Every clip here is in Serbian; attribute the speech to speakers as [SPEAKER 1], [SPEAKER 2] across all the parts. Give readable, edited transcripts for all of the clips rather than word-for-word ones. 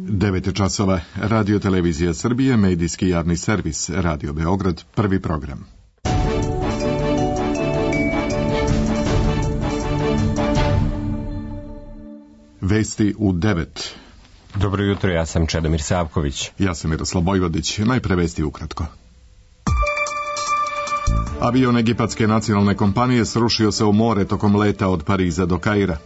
[SPEAKER 1] 9 časova. Radio Televizija Srbije, medijski javni servis, Radio Beograd, prvi program. Vesti u 9.
[SPEAKER 2] Dobro jutro, ja sam Čedomir Savković.
[SPEAKER 1] Ja sam Miroslav Bojvodić. Najpre vesti ukratko. Avion egipatske nacionalne kompanije srušio se u more tokom leta od Pariza do Kaira.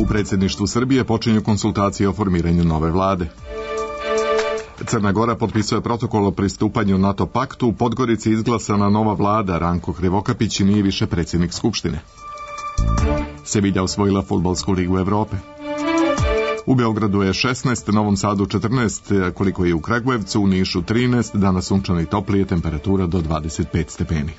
[SPEAKER 1] U predsjedništvu Srbije počinju konsultacije o formiranju nove vlade. Crna Gora potpisuje protokol o pristupanju NATO paktu, u Podgorici izglasana nova vlada, Ranko Krivokapić nije više predsjednik Skupštine. Sevilla osvojila fudbalsku ligu Evrope. U Beogradu je 16, Novom Sadu 14, koliko je u Kragujevcu, u Nišu 13, danas sunčano i toplije, temperatura do 25 stepeni.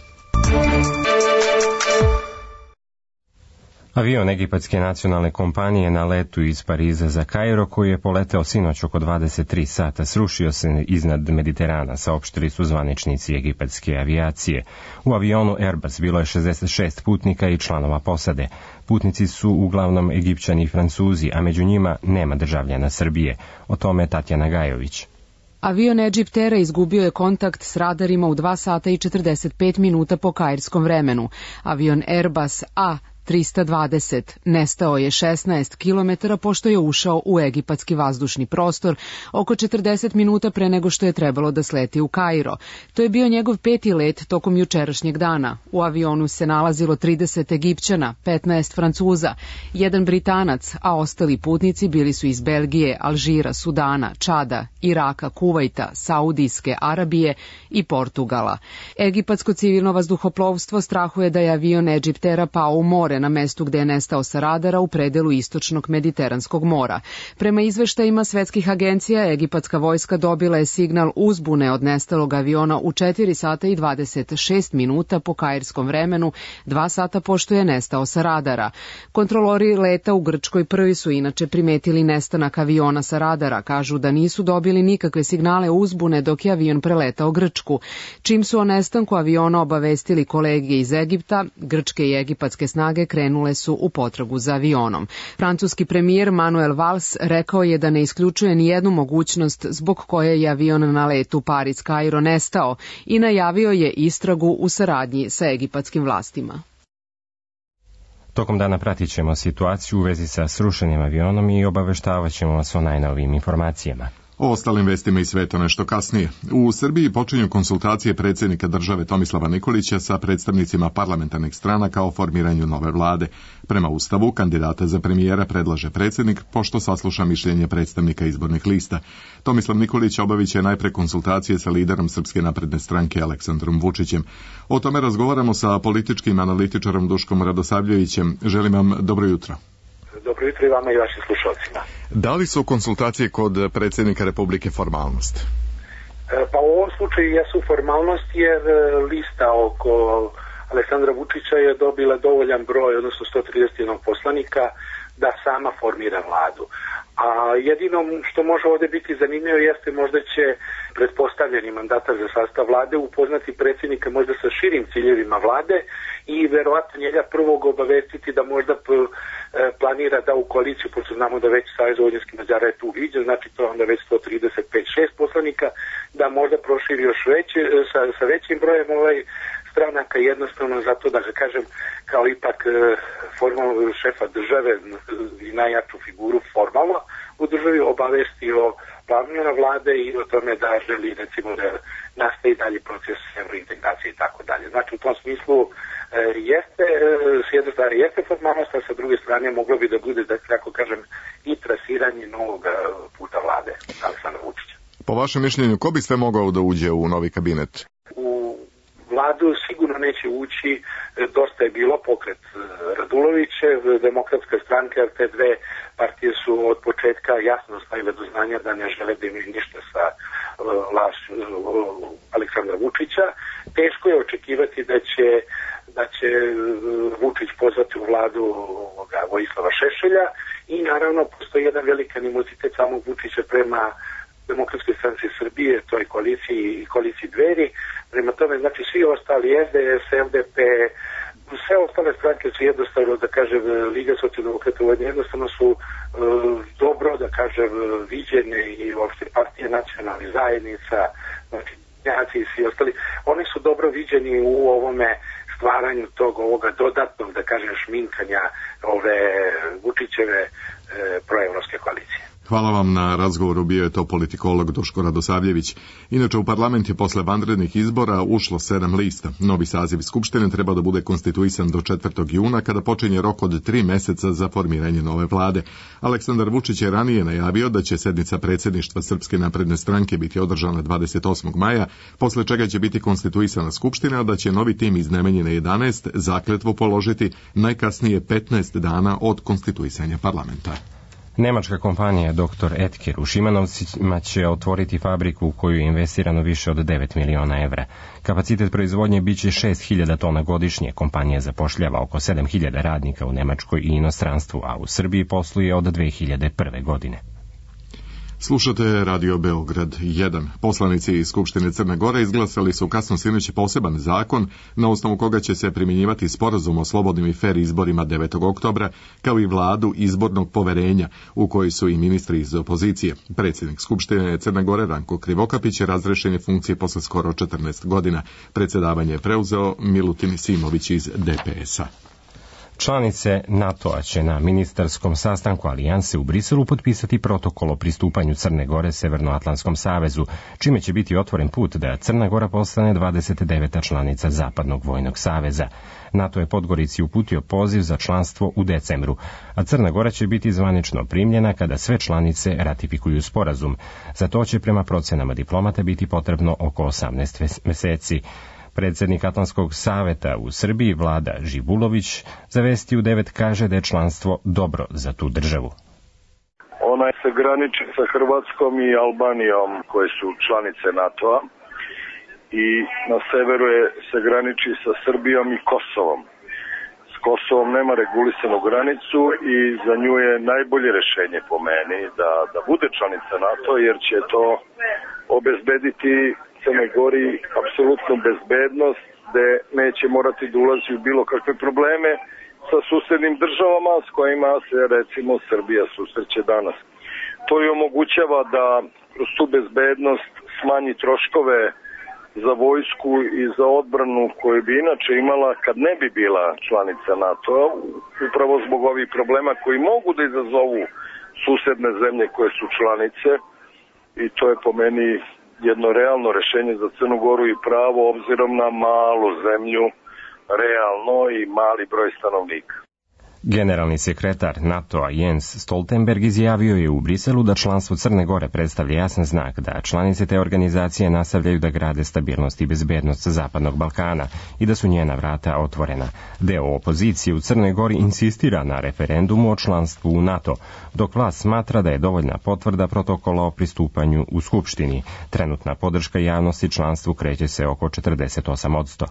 [SPEAKER 2] Avion egipatske nacionalne kompanije na letu iz Pariza za Kairo, koji je poleteo sinoć oko 23 sata, srušio se iznad Mediterana, saopštili su zvaničnici egipatske avijacije. U avionu Airbus bilo je 66 putnika i članova posade. Putnici su uglavnom Egipćani i Francuzi, a među njima nema državljana Srbije. O tome Tatjana Gajović.
[SPEAKER 3] Avion Egypt Aira izgubio je kontakt s radarima u 2 sata i 45 minuta po kairskom vremenu. Avion Airbus A320 nestao je 16 km pošto je ušao u egipatski vazdušni prostor oko 40 minuta pre nego što je trebalo da sleti u Kairo. To je bio njegov 5. let tokom jučerašnjeg dana. U avionu se nalazilo 30 Egipćana, 15 Francuza, 1 Britanac, a ostali putnici bili su iz Belgije, Alžira, Sudana, Čada, Iraka, Kuvajta, Saudijske Arabije i Portugala. Egipatsko civilno vazduhoplovstvo strahuje da je avion Egypt Aira pao u more na mestu gde je nestao sa radara u predelu istočnog Mediteranskog mora. Prema izveštajima svetskih agencija, egipatska vojska dobila je signal uzbune od nestalog aviona u 4 sata i 26 minuta po kairskom vremenu, 2 sata pošto je nestao sa radara. Kontrolori leta u Grčkoj prvi su inače primetili nestanak aviona sa radara, kažu da nisu dobili nikakve signale uzbune dok je avion preletao Grčku. Čim su o nestanku aviona obavestili kolege iz Egipta, grčke i egipatske snage krenule su u potragu za avionom. Francuski premijer Manuel Valls rekao je da ne isključuje ni jednu mogućnost zbog koje je avion na letu Pariz-Kairo nestao i najavio je istragu u saradnji sa egipatskim vlastima.
[SPEAKER 2] Tokom dana pratit ćemo situaciju u vezi sa srušenim avionom i obaveštavat ćemo vas o najnovijim informacijama.
[SPEAKER 1] O ostalim vestima i sveta nešto kasnije. U Srbiji počinju konsultacije predsjednika države Tomislava Nikolića sa predstavnicima parlamentarnih stranaka o formiranju nove vlade. Prema Ustavu, kandidata za premijera predlaže predsjednik, pošto sasluša mišljenje predstavnika izbornih lista. Tomislav Nikolić obavit će najpre konsultacije sa liderom Srpske napredne stranke Aleksandrom Vučićem. O tome razgovaramo sa političkim analitičarom Duškom Radosavljevićem. Želim vam dobro jutro.
[SPEAKER 4] Dobro jutro i vama i vašim slušalcima.
[SPEAKER 1] Da li su konsultacije kod predsjednika Republike formalnost?
[SPEAKER 4] Pa u ovom slučaju jesu formalnost jer lista oko Aleksandra Vučića je dobila dovoljan broj, odnosno 131 poslanika, da sama formira vladu. A jedino što može ovdje biti zanimljivo jeste možda će pretpostavljeni mandatar za sastav vlade upoznati predsjednika možda sa širim ciljevima vlade i verovatno njega prvog obavestiti da možda planira da u koaliciju, pošto znamo da već Savez vojvođanskih Mađara je tu viđen, znači to je onda već 135-6 poslanika, da možda proširi još sa većim brojem stranaka, jednostavno zato da ga kažem kao ipak formalno šefa države i najjaču figuru formalno u državi obavesti o planju na vlade i o tome da želi recimo da nastavi dalje proces evrointegracije i tako dalje. Znači u tom smislu jeste, s jedne strane jeste formalnost, a sa druge strane moglo bi da bude, da kako kažem, i trasiranje novog puta vlade Aleksandra Vučića.
[SPEAKER 1] Po vašem mišljenju, ko bi sve mogao da uđe u novi kabinet?
[SPEAKER 4] U vladu sigurno neće ući, dosta je bilo pokret Radulovićev, Demokratska stranka, jer te dve partije su od početka jasno stavile do znanja da ne žele da imaju ništa sa Aleksandra Vučića. Teško je očekivati da će Vučić pozvati u vladu Vojislava Šešelja i naravno postoji jedan veliki animozitet samog Vučića prema Demokratskoj stranci Srbije, toj koaliciji Dveri. Prema tome, znači svi ostali SDS, FDP, sve ostale stranke su jednostavno, da kažem, Liga socijaldemokrata jednostavno su dobro, da kažem, viđene i uopšte partije nacionalnih zajednica, znači Njaci i svi ostali, oni su dobro viđeni u ovome stvaranju ovoga dodatnog, da kažem, šminkanja ove Vučićeve proevropske koalicije.
[SPEAKER 1] Hvala vam na razgovoru, bio je to politikolog Duško Radosavljević. Inače, u parlament je posle vanrednih izbora ušlo 7 lista. Novi saziv Skupštine treba da bude konstituisan do 4. juna, kada počinje rok od 3 meseca za formiranje nove vlade. Aleksandar Vučić je ranije najavio da će sednica predsjedništva Srpske napredne stranke biti održana 28. maja, posle čega će biti konstituisana Skupština, a da će novi tim iz Nemanjine 11 zakletvu položiti najkasnije 15 dana od konstituisanja parlamenta.
[SPEAKER 2] Nemačka kompanija Dr. Edker u Šimanovcima će otvoriti fabriku u koju je investirano više od 9 miliona evra. Kapacitet proizvodnje biće 6.000 tona godišnje. Kompanija zapošljava oko 7.000 radnika u Nemačkoj i inostranstvu, a u Srbiji posluje od 2001. godine.
[SPEAKER 1] Slušate Radio Beograd 1. Poslanici iz Skupštine Crne Gore izglasali su kasno sinoć poseban zakon na osnovu koga će se primjenjivati sporazum o slobodnim i fer izborima 9. oktobra, kao i vladu izbornog poverenja, u kojoj su i ministri iz opozicije. Predsjednik Skupštine Crne Gore Ranko Krivokapić je razrešen je funkcije posle skoro 14 godina. Predsjedavanje je preuzeo Milutin Simović iz DPS-a.
[SPEAKER 2] Članice NATO-a će na ministarskom sastanku Alijanse u Briselu potpisati protokol o pristupanju Crne Gore Severnoatlantskom savezu, čime će biti otvoren put da Crna Gora postane 29. članica Zapadnog vojnog saveza. NATO je Podgorici uputio poziv za članstvo u decembru, a Crna Gora će biti zvanično primljena kada sve članice ratifikuju sporazum. Za to će prema procenama diplomata biti potrebno oko 18 meseci. Predsjednik Atlantskog saveta u Srbiji, Vlada Živulović, za Vesti u 9 kaže da je članstvo dobro za tu državu.
[SPEAKER 5] Ona se graniči sa Hrvatskom i Albanijom, koje su članice NATO-a, i na severu se graniči sa Srbijom i Kosovom. S Kosovom nema regulisanu granicu i za nju je najbolje rešenje po meni da bude članica NATO, jer će to obezbediti Crnoj Gori apsolutnu bezbednost, gde neće morati da ulazi u bilo kakve probleme sa susednim državama s kojima se recimo Srbija susreće danas. To je omogućava da kroz tu bezbednost smanji troškove za vojsku i za odbranu koju bi inače imala kad ne bi bila članica NATO-a, upravo zbog ovih problema koji mogu da izazovu susedne zemlje koje su članice, i to je po meni jedno realno rešenje za Crnu Goru i pravo obzirom na malu zemlju, realno i mali broj stanovnika.
[SPEAKER 2] Generalni sekretar NATO-a Jens Stoltenberg izjavio je u Briselu da članstvo Crne Gore predstavlja jasan znak da članice te organizacije nastavljaju da grade stabilnost i bezbednost Zapadnog Balkana i da su njena vrata otvorena. Deo opozicije u Crnoj Gori insistira na referendumu o članstvu u NATO, dok vlast smatra da je dovoljna potvrda protokola o pristupanju u Skupštini. Trenutna podrška javnosti članstvu kreće se oko 48%.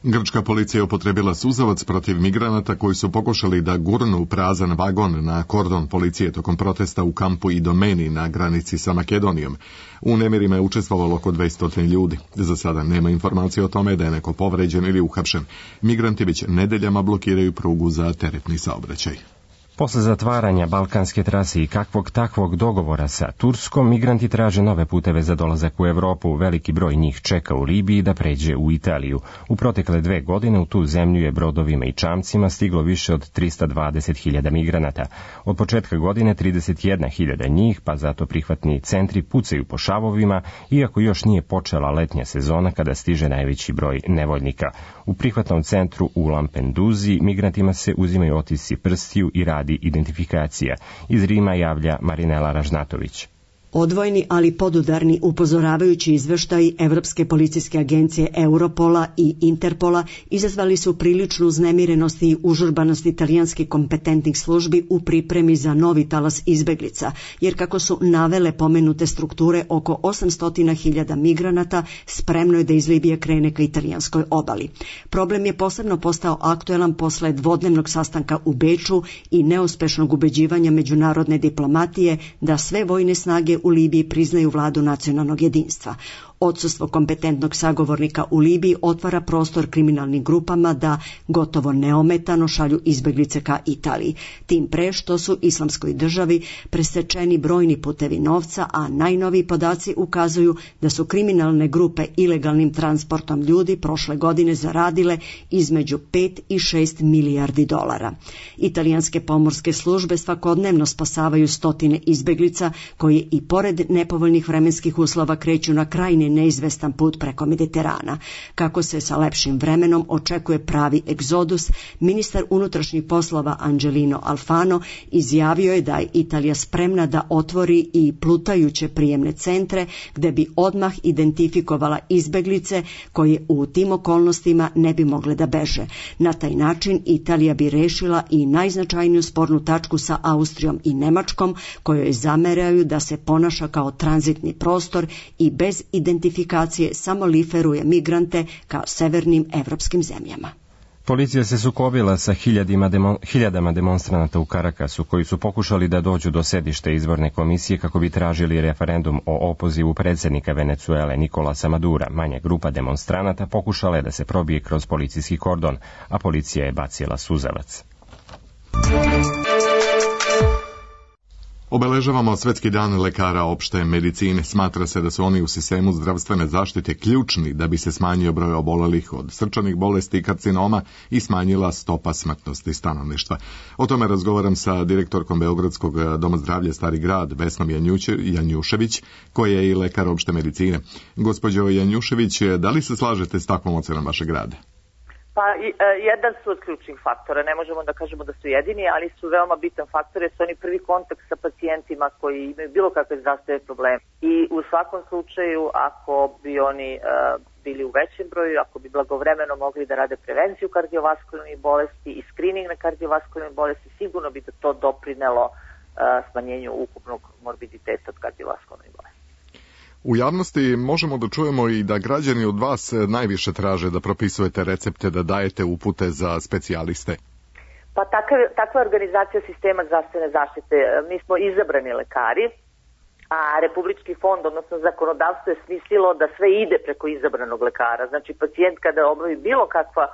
[SPEAKER 1] Grčka policija je upotrebila suzavac protiv migranata koji su pokušali da gurnu prazan vagon na kordon policije tokom protesta u kampu Idomeni na granici sa Makedonijom. U nemirima je učestvovalo oko 200 ljudi. Za sada nema informacije o tome da je neko povređen ili uhapšen. Migranti već nedeljama blokiraju prugu za teretni saobraćaj.
[SPEAKER 2] Posle zatvaranja balkanske trase i kakvog takvog dogovora sa Turskom, migranti traže nove puteve za dolazak u Evropu. Veliki broj njih čeka u Libiji da pređe u Italiju. U protekle 2 godine u tu zemlju je brodovima i čamcima stiglo više od 320.000 migranata. Od početka godine 31.000 njih, pa zato prihvatni centri pucaju po šavovima, iako još nije počela letnja sezona kada stiže najveći broj nevoljnika. U prihvatnom centru u Lampeduzi migrantima se uzimaju otisci prstiju i radi identifikacija. Iz Rima javlja Marinela Ražnatović.
[SPEAKER 6] Odvojeni, ali podudarni upozoravajući izveštaji Evropske policijske agencije Europola i Interpola izazvali su priličnu uznemirenost i užurbanost italijanskih kompetentnih službi u pripremi za novi talas izbeglica, jer kako su navele pomenute strukture, oko 800.000 migranata spremno je da iz Libije krene ka italijanskoj obali. Problem je posebno postao aktuelan posle dvodnevnog sastanka u Beču i neuspešnog ubeđivanja međunarodne diplomatije da sve vojne snage u Libiji priznaju vladu nacionalnog jedinstva. Odsustvo kompetentnog sagovornika u Libiji otvara prostor kriminalnim grupama da gotovo neometano šalju izbeglice ka Italiji. Tim pre što su Islamskoj državi presečeni brojni putevi novca, a najnoviji podaci ukazuju da su kriminalne grupe ilegalnim transportom ljudi prošle godine zaradile između 5 i 6 milijardi dolara. Italijanske pomorske službe svakodnevno spasavaju stotine izbeglica koji i pored nepovoljnih vremenskih uslova kreću na krajne neizvestan put preko Mediterana. Kako se sa lepšim vremenom očekuje pravi egzodus, ministar unutrašnjih poslova Angelino Alfano izjavio je da je Italija spremna da otvori i plutajuće prijemne centre gde bi odmah identifikovala izbeglice koje u tim okolnostima ne bi mogle da beže. Na taj način Italija bi rešila i najznačajniju spornu tačku sa Austrijom i Nemačkom, kojoj zameraju da se ponaša kao tranzitni prostor i bez identifikacije samo liferuje migrante kao severnim evropskim zemljama.
[SPEAKER 2] Policija se sukobila sa hiljadama demonstranata u Karakasu koji su pokušali da dođu do sedišta izborne komisije kako bi tražili referendum o opozivu predsjednika Venecuele Nicolasa Madura. Manja grupa demonstranata pokušala je da se probije kroz policijski kordon, a policija je bacila suzavac.
[SPEAKER 1] Obeležavamo Svetski dan lekara opšte medicine. Smatra se da su oni u sistemu zdravstvene zaštite ključni da bi se smanjio broj obolelih od srčanih bolesti i karcinoma i smanjila stopa smrtnosti stanovništva. O tome razgovaram sa direktorkom Beogradskog doma zdravlja Stari grad, Vesnom Janjušević, koja je i lekar opšte medicine. Gospođo Janjušević, da li se slažete s takvom ocenom vašeg rada?
[SPEAKER 7] Pa jedan su od ključnih faktora, ne možemo da kažemo da su jedini, ali su veoma bitan faktor jer su oni prvi kontakt sa pacijentima koji imaju bilo kakve zdravstvene probleme. I u svakom slučaju, ako bi oni bili u većem broju, ako bi blagovremeno mogli da rade prevenciju kardiovaskularnih bolesti i screening na kardiovaskularne bolesti, sigurno bi da to doprinelo smanjenju ukupnog morbiditeta od kardiovaskularnih bolesti.
[SPEAKER 1] U javnosti možemo da čujemo i da građani od vas najviše traže da propisujete recepte, da dajete upute za specijaliste.
[SPEAKER 7] Pa takva organizacija sistema zdravstvene zaštite. Mi smo izabrani lekari, a Republički fond, odnosno zakonodavstvo je smislilo da sve ide preko izabranog lekara. Znači pacijent kada obavi bilo kakva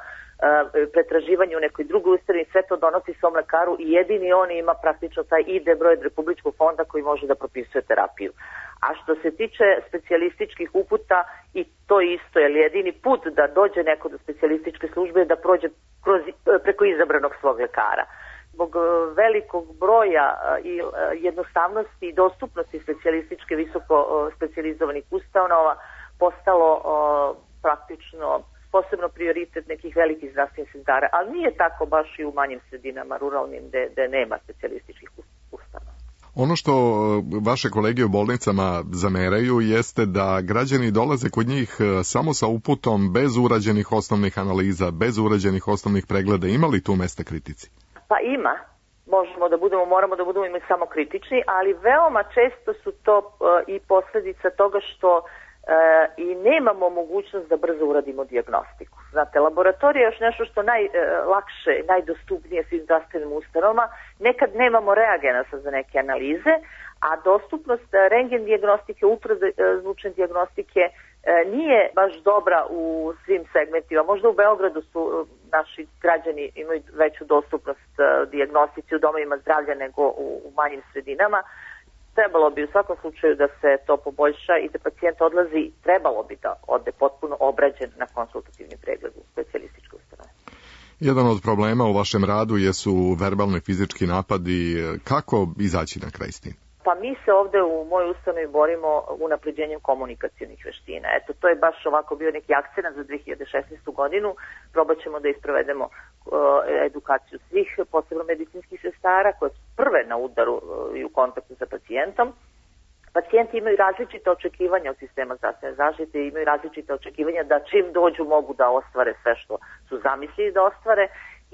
[SPEAKER 7] pretraživanje u nekoj drugoj ustanovi, sve to donosi svom lekaru i jedini on ima praktično taj ID broj od Republičkog fonda koji može da propisuje terapiju. A što se tiče specijalističkih uputa, i to isto, jer jedini put da dođe neko do specijalističke službe je da prođe preko izabranog svog lekara. Zbog velikog broja i jednostavnosti i dostupnosti specijalističke visoko specijalizovanih ustanova postalo praktično posebno prioritet nekih velikih zdravstvenih centara, ali nije tako baš i u manjim sredinama, ruralnim, gde nema specijalističkih ustanova.
[SPEAKER 1] Ono što vaše kolege u bolnicama zameraju jeste da građani dolaze kod njih samo sa uputom, bez urađenih osnovnih analiza, bez urađenih osnovnih pregleda. Ima li tu mesta kritici?
[SPEAKER 7] Pa ima. Moramo da budemo samo kritični, ali veoma često su to i posljedica toga što i nemamo mogućnost da brzo uradimo dijagnostiku. Znate, laboratorija je još nešto što najlakše, najdostupnije svim zdravstvenim ustanovama. Nekad nemamo reagenasa za neke analize, a dostupnost rentgen dijagnostike, ultrazvučne dijagnostike nije baš dobra u svim segmentima. Možda u Beogradu su naši građani imaju veću dostupnost dijagnostici u domovima zdravlja nego u manjim sredinama. Trebalo bi u svakom slučaju da se to poboljša i da pacijent odlazi, trebalo bi da ode potpuno obrađen na konsultativni pregled u specijalističkoj ustanovi.
[SPEAKER 1] Jedan od problema u vašem radu jesu verbalni fizički napadi. Kako izaći na kraj s tim?
[SPEAKER 7] Pa mi se ovde u mojoj ustanovi borimo unapređenjem komunikacionih veština. Eto, to je baš ovako bio neki akcent za 2016. godinu. Probat ćemo da isprovedemo edukaciju svih, posebno medicinskih sestara, koje su prve na udaru i u kontaktu sa pacijentom. Pacijenti imaju različite očekivanja od sistema zdravstvene zaštite, imaju različite očekivanja da čim dođu mogu da ostvare sve što su zamislili da ostvare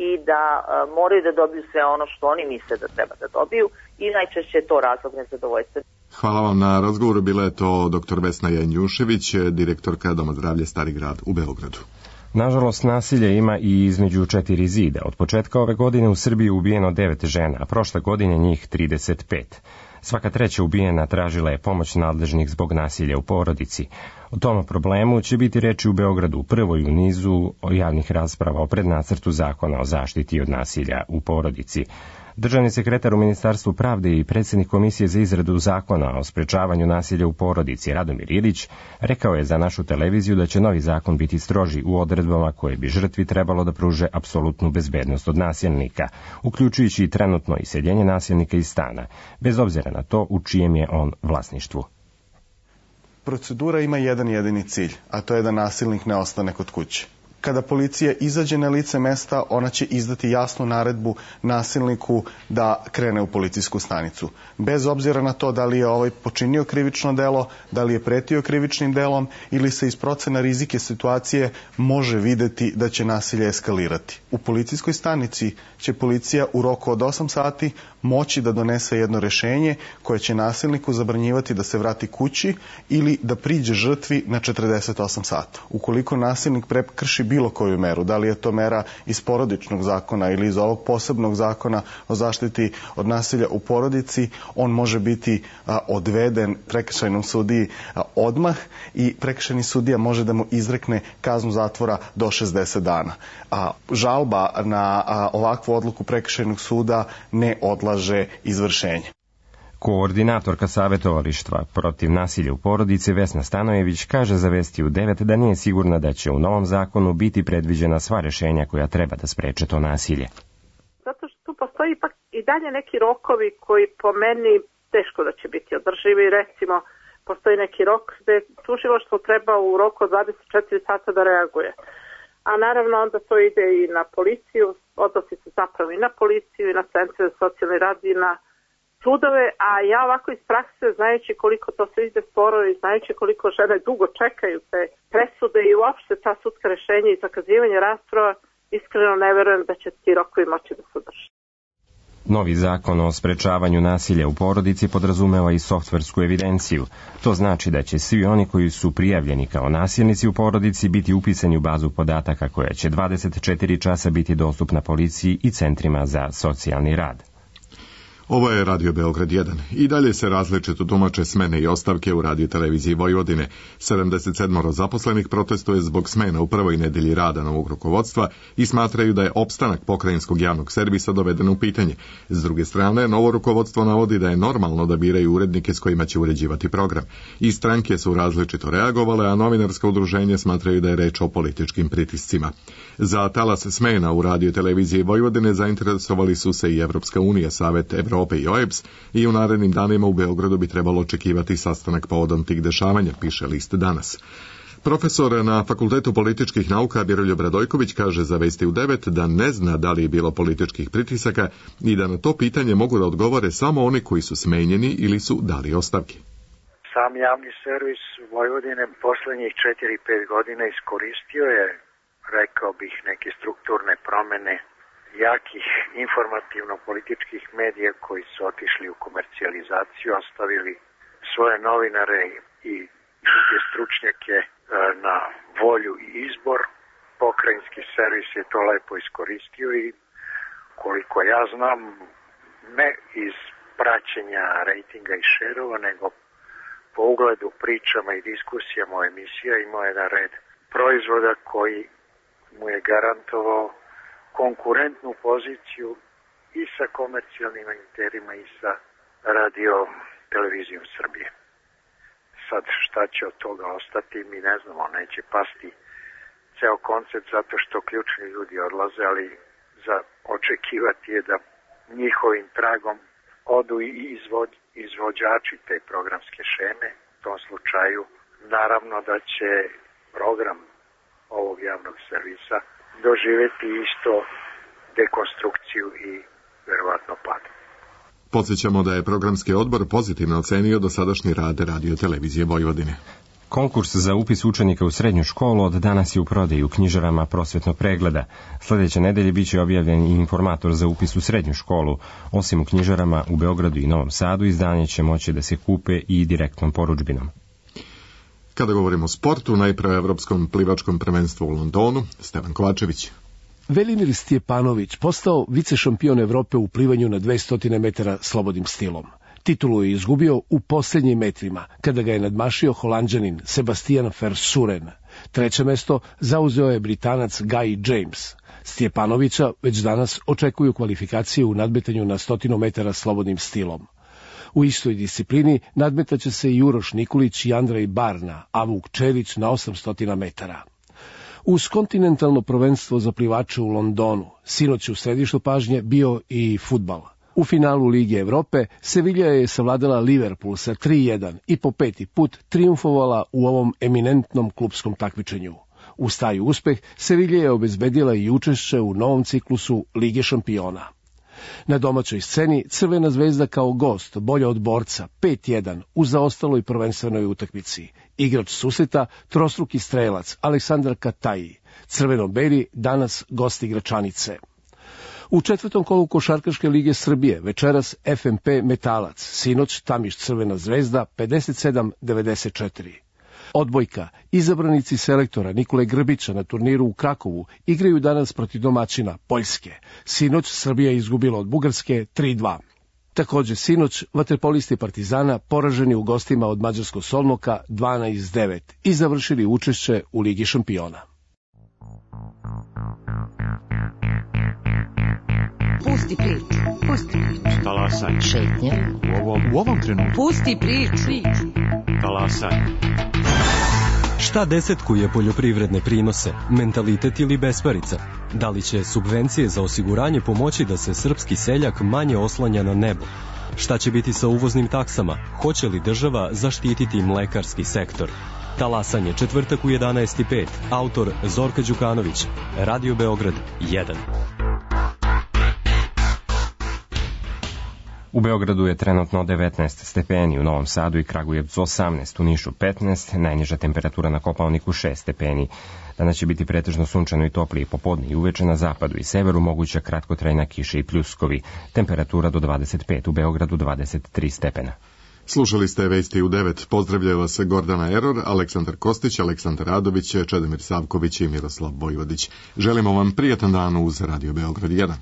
[SPEAKER 7] i da moraju da dobiju sve ono što oni misle da treba da dobiju i najčešće je to razlog nezadovoljstva.
[SPEAKER 1] Hvala vam na razgovoru. Bila je to dr. Vesna Janjušević, direktorka Doma zdravlja Stari grad u Beogradu.
[SPEAKER 2] Nažalost, nasilje ima i između 4 zida. Od početka ove godine u Srbiji ubijeno 9 žena, a prošle godine njih 35. Svaka treća ubijena tražila je pomoć nadležnih zbog nasilja u porodici. O tom problemu će biti reči u Beogradu, prvoj u nizu javnih rasprava o prednacrtu zakona o zaštiti od nasilja u porodici. Državni sekretar u Ministarstvu pravde i predsjednik Komisije za izradu zakona o sprečavanju nasilja u porodici Radomir Ilić rekao je za našu televiziju da će novi zakon biti stroži u odredbama koje bi žrtvi trebalo da pruže apsolutnu bezbednost od nasilnika, uključujući i trenutno iseljenje nasilnika iz stana, bez obzira na to u čijem je on vlasništvu.
[SPEAKER 8] Procedura ima jedan jedini cilj, a to je da nasilnik ne ostane kod kuće. Kada policija izađe na lice mesta, ona će izdati jasnu naredbu nasilniku da krene u policijsku stanicu. Bez obzira na to da li je ovaj počinio krivično delo, da li je pretio krivičnim delom ili se iz procena rizike situacije može videti da će nasilje eskalirati. U policijskoj stanici će policija u roku od 8 sati moći da donese jedno rešenje koje će nasilniku zabranjivati da se vrati kući ili da priđe žrtvi na 48 sata. Ukoliko nasilnik prekrši bilo koju meru, da li je to mera iz porodičnog zakona ili iz ovog posebnog zakona o zaštiti od nasilja u porodici, on može biti odveden prekršajnom sudiji odmah i prekršajni sudija može da mu izrekne kaznu zatvora do 60 dana. Žalba na ovakvu odluku prekršajnog suda ne odlaže izvršenje.
[SPEAKER 2] Koordinatorka savjetovalištva protiv nasilja u porodici Vesna Stanojević kaže za Vesti u 9 da nije sigurna da će u novom zakonu biti predviđena sva rešenja koja treba da spreče to nasilje.
[SPEAKER 9] Zato što tu postoji ipak i dalje neki rokovi koji po meni teško da će biti održivi. Recimo, postoji neki rok gde tužilaštvo treba u roku od 24 sata da reaguje. A naravno onda to ide i na policiju, odnosi se zapravo i na policiju i na centre za socijalni rad i na sudove, a ja ovako iz prakse, znajući koliko to se ide sporo i znajući koliko žene dugo čekaju te presude i uopšte ta sudska rešenja i zakazivanje rasprava, iskreno ne verujem da će ti rokovi moći da se drže.
[SPEAKER 2] Novi zakon o sprečavanju nasilja u porodici podrazumeva i softversku evidenciju. To znači da će svi oni koji su prijavljeni kao nasilnici u porodici biti upisani u bazu podataka koja će 24 časa biti dostupna policiji i centrima za socijalni rad.
[SPEAKER 1] Ovo je Radio Beograd 1. I dalje se različito tumače smene i ostavke u Radio televiziji Vojvodine. 77 zaposlenih protestuje zbog smena u prvoj nedelji rada novog rukovodstva i smatraju da je opstanak pokrajinskog javnog servisa doveden u pitanje. S druge strane, novo rukovodstvo navodi da je normalno da biraju urednike s kojima će uređivati program. I stranke su različito reagovale, a novinarska udruženja smatraju da je reč o političkim pritiscima. Za talas smena u Radio televiziji Vojvodine zainteresovali su se i Evropska unija, Savet Evrope i OEBS i u narednim danima u Beogradu bi trebalo očekivati sastanak povodom tih dešavanja, piše list Danas. Profesor na Fakultetu političkih nauka Miroljub Radojković kaže za Vesti u 9 da ne zna da li je bilo političkih pritisaka i da na to pitanje mogu da odgovore samo oni koji su smenjeni ili su dali ostavke.
[SPEAKER 10] Sam javni servis Vojvodine poslednjih 4-5 godina iskoristio je, rekao bih, neke strukturne promene jakih informativno-političkih medija koji su otišli u komercijalizaciju, ostavili svoje novinare i druge stručnjake na volju i izbor. Pokrajinski servis je to lepo iskoristio i koliko ja znam, ne iz praćenja rejtinga i šerova, nego po ugledu pričama i diskusijama o emisija imao jedan red proizvoda koji mu je garantovao konkurentnu poziciju i sa komercijalnim emiterima i sa radio televizijom Srbije. Sad šta će od toga ostati, mi ne znamo, neće pasti ceo koncept zato što ključni ljudi odlaze, ali za očekivati je da njihovim tragom odu i izvođači te programske šeme. U tom slučaju naravno da će program ovog javnog servisa doživjeti isto dekonstrukciju i verovatno pad.
[SPEAKER 1] Podsjećamo da je programski odbor pozitivno ocenio dosadašnji rad Radio televizije Vojvodine.
[SPEAKER 2] Konkurs za upis učenika u srednju školu od danas je u prodaji u knjižarama Prosvetnog pregleda. Sljedeće nedelje biće objavljen i informator za upis u srednju školu. Osim u knjižarama u Beogradu i Novom Sadu, izdanje će moći da se kupe i direktnom porudžbinom.
[SPEAKER 1] Kada govorimo o sportu, najpre o Evropskom plivačkom prvenstvu u Londonu, Stevan Kovačević.
[SPEAKER 11] Velimir Stjepanović postao vicešampion Evrope u plivanju na 200 metara slobodnim stilom. Titulu je izgubio u posljednjim metrima, kada ga je nadmašio Holanđanin Sebastian Versuren. Treće mesto zauzeo je Britanac Guy James. Stjepanovića već danas očekuju kvalifikacije u nadmetanju na 100 metara slobodnim stilom. U istoj disciplini nadmetaće se i Uroš Nikolić i Andrej Barna, a Vuk Čerić na 800 metara. Uz kontinentalno prvenstvo za plivače u Londonu, sinoć u središtu pažnje bio i fudbal. U finalu Lige Evrope Sevilla je savladala Liverpool sa 3:1 i po 5. put trijumfovala u ovom eminentnom klupskom takmičenju. Uz taj uspeh Sevilla je obezbedila i učešće u novom ciklusu Lige šampiona. Na domaćoj sceni Crvena zvezda kao gost bolja od borca 5:1 u zaostaloj prvenstvenoj utakmici. Igrač susreta trostruki strelac Aleksandar Kataji. Crveno-beli danas gost igračanice. U četvrtom kolu Košarkaške lige Srbije večeras FNP Metalac, sinoć Tamiš Crvena zvezda 57-94. Odbojka, izabranici selektora Nikole Grbića na turniru u Krakovu igraju danas protiv domaćina Poljske. Sinoć Srbija je izgubila od Bugarske 3:2. Također sinoć vaterpolisti Partizana poraženi u gostima od mađarskog Solnoka 12:9 i završili učešće u Ligi šampiona.
[SPEAKER 12] Pusti priču. Pusti priču.
[SPEAKER 13] Talasaj.
[SPEAKER 12] Šetnja.
[SPEAKER 13] U ovom trenutku.
[SPEAKER 12] Pusti priču.
[SPEAKER 13] Talasaj.
[SPEAKER 14] Šta desetkuje poljoprivredne prinose, mentalitet ili besparica? Da li će subvencije za osiguranje pomoći da se srpski seljak manje oslanja na nebo? Šta će biti sa uvoznim taksama? Hoće li država zaštititi mlekarski sektor? Talasanje, četvrtak u 11:05. Autor Zorka Đukanović. Radio Beograd 1.
[SPEAKER 2] U Beogradu je trenutno 19 stepeni, u Novom Sadu i Kragujevcu 18, u Nišu 15, najniža temperatura na Kopaoniku 6 stepeni. Danas će biti pretežno sunčano i toplije popodne i uveče na zapadu i severu moguća kratkotrajna kiša i pljuskovi. Temperatura do 25, u Beogradu 23 stepena.
[SPEAKER 1] Slušali ste Vesti u 9. Pozdravljaju vas Gordana Eror, Aleksandar Kostić, Aleksandar Radović, Čedomir Savković i Miroslav Vojvodić. Želimo vam prijatan dan uz Radio Beograd 1.